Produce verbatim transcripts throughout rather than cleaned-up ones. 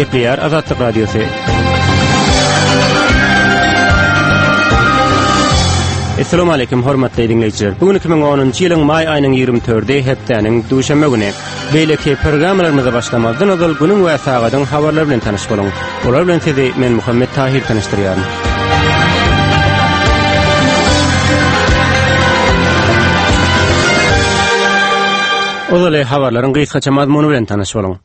Gepleýär Azatlyk Radiosy. Essalamu aleýkum hormatly diňleýjiler. Bu gün iki müň onunjy ýylyň maý aýynyň ýigrimi dördi hepdäniň duşenbe güni. Beýleki programmalarymyza başlamazdan ozal günüň we sagadyň habarlary bilen tanyş boluň. Olar bilen sizi men Muhammet Tahir tanyşdyrýaryn. Ozaly habarlaryň gysgaça mazmuny bilen tanyş boluň.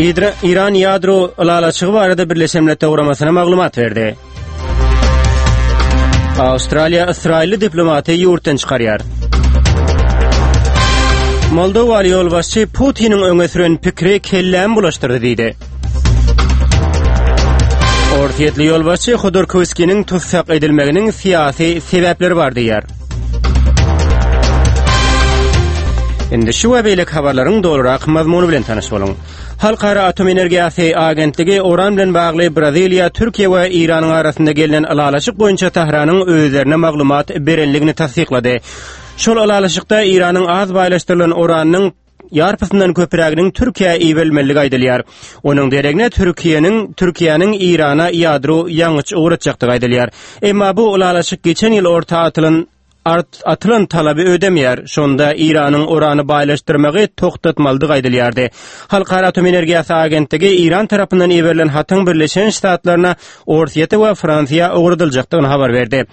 Idra, Iran ýadro ylalaşygy barada Birleşen Milletler Guramasyna maglumat berdi. Awstraliýa ysraýylly diplomaty ýurtdan çykarýar. Moldowaly ýolbaşçy Putiniň öňe süren pikiri kellämi bulaşdyrdy diýdi. Orsýetli ýolbaşçy Hodorkowskiniň tussag edilmeginiň syýasy sebäpleri bar diýýär. Indi şu we beýleki habarlaryň dolurak mazmuny bilen tanyş boluň. Halkara Atom Energiýasy Agentligi Oran bilen bagly Braziliýa, Türkiýe we Eýranyň arasynda gelnen ylalaşyk boýunça Tähranyň özlerine maglumat berenligini tassyklady. Şol ylalaşykda Eýranyň az baýlaşdyrylan uranynyň ýarpysyndan köpräginiň Türkiýä iberilmelidigi aýdylýar. Onuň deregine Türkiýäniň Türkiýäniň Eýrana ýadro ýangyç ugratjakdygy aýdylýar. Emma bu ylalaşyk geçen ýyl orta atylan art atylan talaby ödemeýär. Şonda Eýranyň urany baýlaşdyrmagy togtatmalydygy aýdylýardy. Halkara Atom Energiýasy Agentligi Eýran tarapyndan iberilen hatyň Birleşen Ştatlaryna, Orsýete we Fransiýa ugradyljakdygyny habar berdi.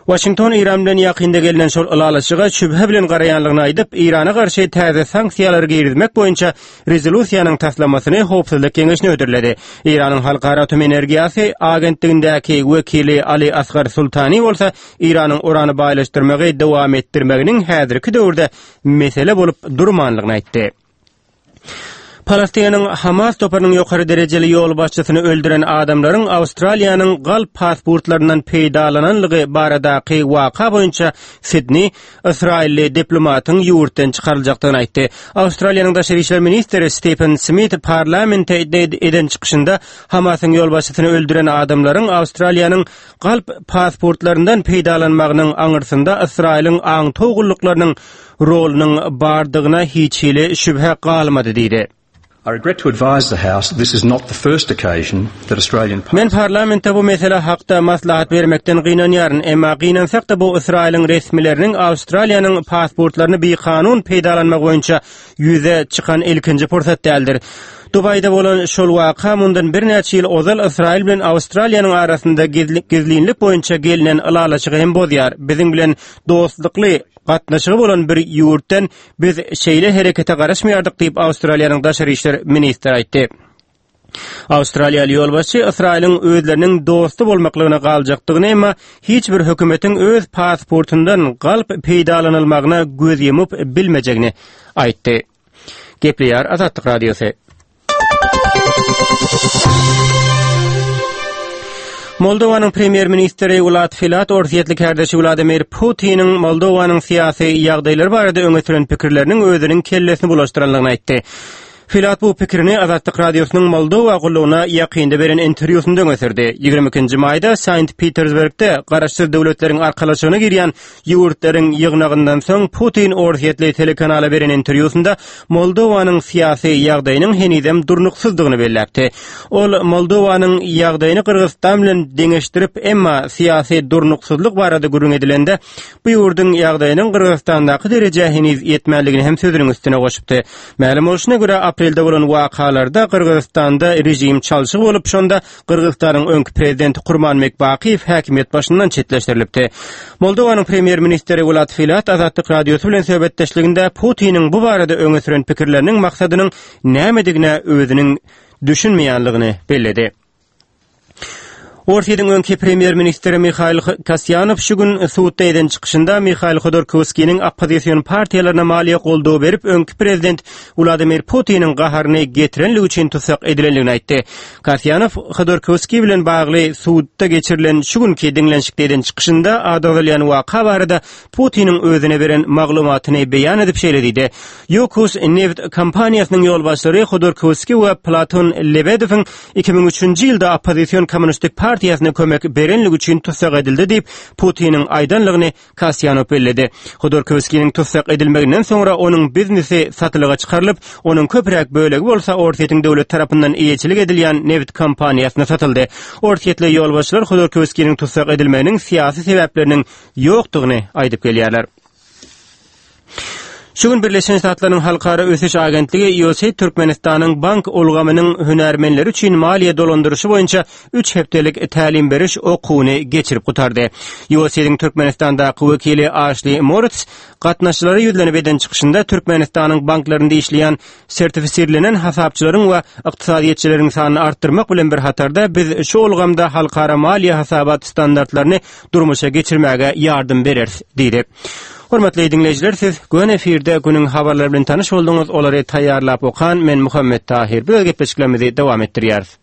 Waşington Eýran bilen ýakynda gelnen şol ylalaşyga şübhe bilen garaýanlygyny aýdyp, Eýrana garşy täze sanksiýalary girizmek boýunça rezolýusiýanyň taslamasyny Howpsuzlyk Geňeşine hödürledi. Eýranyň Halkara Atom Energiýasy Agentligindäki wekili Ali Asgar Sultani bolsa Eýranyň urany baýlaşdyrmagy dowam etdirmeginiň häzirki döwürde mesele bolup durmanlygyny aýtdy. Palestinanyň Hamas toparynyň ýokary derejeli ýolbaşçysyny öldüren adamlaryň Awstraliýanyň galp pasportlaryndan peýdalananlygy baradaky waka boýunça Sidni ysraýylly diplomatyň ýurtdan çykaryljakdygyny aýtdy. Awstraliýanyň daşary işler ministri Stephen Smith parlamente eden çykyşynda Hamasyň ýolbaşçysyny öldüren adamlaryň Awstraliýanyň galp pasportlaryndan peýdalanmagynyň aňyrsynda Ysraýylyň aňtaw gulluklarynyň rolunyň bardygyna hiç hili şübhe galmady diýdi. I regret to advise the House this is not the first occasion that Australian Men parlamentde bu mesele hakda maslahat bermekden gynanýaryn, emma gynansak-da bu Ysraýylyň resmileriniň Awstraliýanyň pasportlaryny bikanun peýdalanmak boýunça ýüze çykan ilkinji pursat däldir. Dubaýda bolan şol waka mundan birnäçe ýyl ozal Ysraýyl bilen Awstraliýanyň arasynda gizlinlik boýunça gelnen ylalaşygy hem bozýar. Biziň bilen dostlukly gatnaşygy bolan bir ýurtdan biz şeýle herekete garaşmaýardyk diýip Awstraliýanyň daşary işler ministri aýtdy. Awstraliýaly ýolbaşçy Ysraýylyň özleriniň dosty bolmaklygyna galjakdygyny, emma hiç bir hökümetiň öz pasportyndan galp peýdalanylmagyna göz ýumup bilmejegini aýtdy. Gepleýär Azatlyk Radiosy. Moldowanyň premýer-ministri Wlad Filat orsýetli kärdeşi Wladimir Putiniň Moldowanyň syýasy ýagdaýlary barada öňe süren pikirleriniň özüniň kellesini bulaşdyranlygyny aýtdy. Filat bu pikirini Azatlyk Radiosynyň Moldowa gullugyna ýakynda beren interwýusynda öňe sürdi. Ýigrimi ikinji maýda Sankt-Petersburgda Garaşsyz Döwletleriň Arkalaşygyna girýän ýurtlaryň ýygnagyndan soň Putin orsýetli telekanala beren interwýusynda Moldowanyň syýasy ýagdaýynyň henizem durnuksyzdygyny belläpdi. Ol Moldowanyň ýagdaýyny Gyrgyzystan bilen deňeşdirip, emma syýasy durnuksyzlyk barada gürrüň edilende, bu ýurduň ýagdaýynyň Gyrgyzystandaky derejä heniz ýetmänligini hem sözüniň üstüne goşupdy. Mälim bolşuna görä, aprelde bolan wakalarda Gyrgyzystanda režim çalşygy bolup, şonda Gyrgyzystanyň öňki prezidenti Kurmanbek Bakyýew häkimiýet başyndan çetleşdirilipdi. Moldowanyň premýer-ministri Wlad Filat Azatlyk Radiosy bilen söhbetdeşliginde Putiniň bu barada öňe süren pikirleriniň maksadynyň nämedigine özüniň düşünmeýänligini belledi. Orsýetiň öňki premýer-ministri Mihail Kasýanow şu gün sudda eden çykyşynda Mihail Hodorkowskiniň oppozision partiýalaryna maliýe goldawy berip, öňki prezident Wladimir Putiniň gaharyny getirenligi üçin tussag edilenligini aýtdy. Kasýanow Hodorkowskiý bilen bagly sudda geçirilen şu günki diňlenişikde eden çykyşynda ady agzalýan waka barada Putiniň özüne beren maglumatyny beýan edip şeýle diýdi, Ýukos neft kompaniýasynyň ýolbaşçylary Hodorkowskiý we Platon Lebedewiň iki müň üçünji ýylda oppozision Kommunistik partiýasynyň partiýasyna kömek berenligi üçin tussag edildi diýip, Putiniň aýdanlygyny Kasýanow belledi. Hodorkowskiniň tussag edilmeginden soňra onuň biznesi satylyga çykarylyp, onuň köpräk bölegi bolsa Orsýetiň döwlet tarapyndan eýeçilik edilýän nebit kompaniýasyna satyldy. Orsýetli ýolbaşçylar Hodorkowskiniň tussag edilmeginiň syýasy sebäpleriniň ýokdugyny aýdyp gelýärler. Şu gün Birleşen Ştatlaryň Halkara ösüş agentligi USAID Türkmenistanyň bank ulgamynyň hünärmenleri üçin maliýe dolandyryşy boýunça üç hepdelik tälim beriş okuwyny geçirip gutardy. USAID-iň Türkmenistandaky wekili Aşli Moritz gatnaşyjylara ýüzlenip eden çykyşynda Türkmenistanyň banklarynda işleýän sertifisirlenen hasapçylaryň we ykdysadyýetçileriň sanyny artdyrmak bilen bir hatarda biz şu ulgamda halkara maliýe hasabat standartlaryny durmuşa geçirmäge ýardam bereris diýdi. Hormatly diňleýjiler, siz göni efirde günüň habarlary bilen tanyş bolduňyz. Olary taýýarlap okan men Muhammet Tahir. Biz gepleşiklerimizi dowam etdirýäris.